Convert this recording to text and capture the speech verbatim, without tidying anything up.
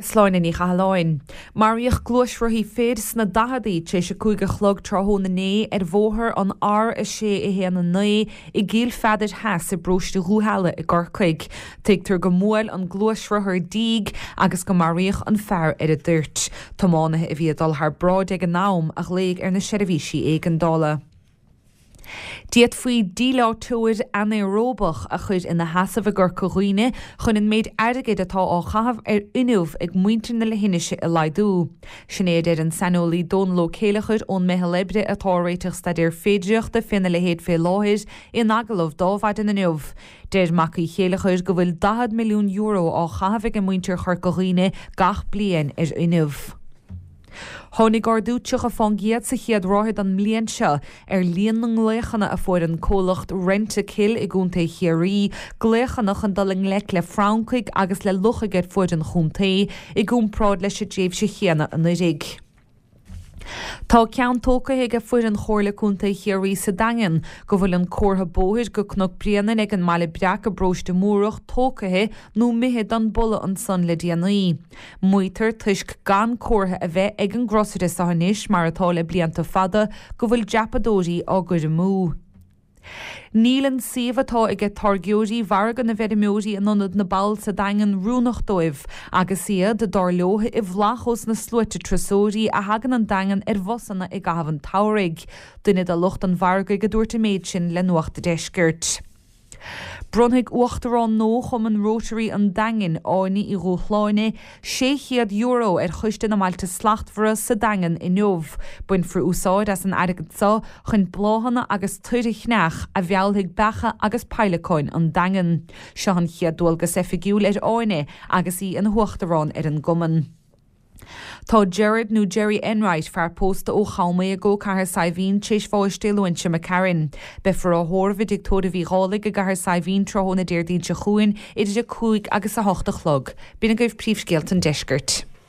Sláine Ní Chathalláin. Maraíodh gluaisrothaí fir sna daicheadaí tar éis a cúig a chlog tráthnóna inné ar bhóthar an R a sé a haon a naoi i gCill Pheadair Theas i bparóiste Dhúshaile i gCorcaigh. Tuigtear go mbuail an gluaisrothar díog agus go maraíodh an fear ar an dtoirt. Tiománaithe a bhí ag dul thar bráid ag an am a ghlaoigh ar na seirbhísí éigeandála. D'fhéadfaí díleáiteoir anaeróbach a chur ina sheasamh i gCorca Dhuibhne chun an méid airgid atá á chaitheamh ar fhuinneamh ag muintir na leithinise a laghdú. Sin é a deir an saineolaí Dónal Ó Céileachair ón Meitheal Oibre atá ag réiteach staidéar féidearthachta féna leithéid fé láthair in agallamh do Adhmhaidin inniu. Deir Mac Uí Chéileachair go bhfuil daichead milliún euro á chaitheamh ag muintir Chorca Dhuibhne gach bliain ar fhuinneamh. Tháinig ardú tríocha fán gcéad sa chéad ráithe den mbliain seo ar líon na nglaochanna a fuair an comhlacht Rentokil i gContae Chiarraí, glaochanna chun dul i ngleic le francaigh agus le luchaigh ar fuaid an chontae, i gcomparáid leis an dtréimhse chéanna anuraidh. Tá ceann tógtha ag foireann Chomhairle Contae Chiarraí sa Daingean go bhfuil an comhartha bóthair go Cnoc Bréanainn ag an mBaile Breac i bparóiste Múrach tógtha nó imithe don boladh ansan le déanaí. Maítear toisc gan comhartha a bheith ag an gcrosaire seo anois mar atá le blianta fada go bhfuil dreapadóirí á gcur amú. Níl an suíomh atá aige táirgeoirí mhargadh na bhfeirmeoirí in Ionad na bPoll sa Daingean oiriúnach dóibh agus iad, dar leo, i bhflach ós na sluaite turasóirí a thagann an Daingean ar bhusanna i gcaitheamh an tsamhraidh. Duine de lucht an mhargaidh a dúirt an méid sin le Nuacht a' Deiscirt. Bronnfaidh Uachtarán nua Chumann Rotary an Daingin, Áine Uí Dhúshláine, sé chéad euro ar Choiste na mBailte Slachtmhara sa Daingean inniu. Bainfear úsáid as an airgead seo chun bláthanna agus toir a cheannach a mheallfaidh beacha agus peidhleacáin an Daingean. Seo an chéad dualgas oifigiúil ar Áine agus í ina huachtarán ar an gcumann. Tá Gerard nó Jerry Enright, fear pósta ó Cham i gCo Cathair Saidhbhín, tar éis bháis Dé Luain seo imigh tharainn. Beifear á thórramh i dTigh Tórraimh Uí Dhálaigh i gCathair Saidhbhín tráthnóna Déardaoin seo chugainn idir a cúig agus a hocht a chlog. B'in agaibh príomhscéalta an deiscirt.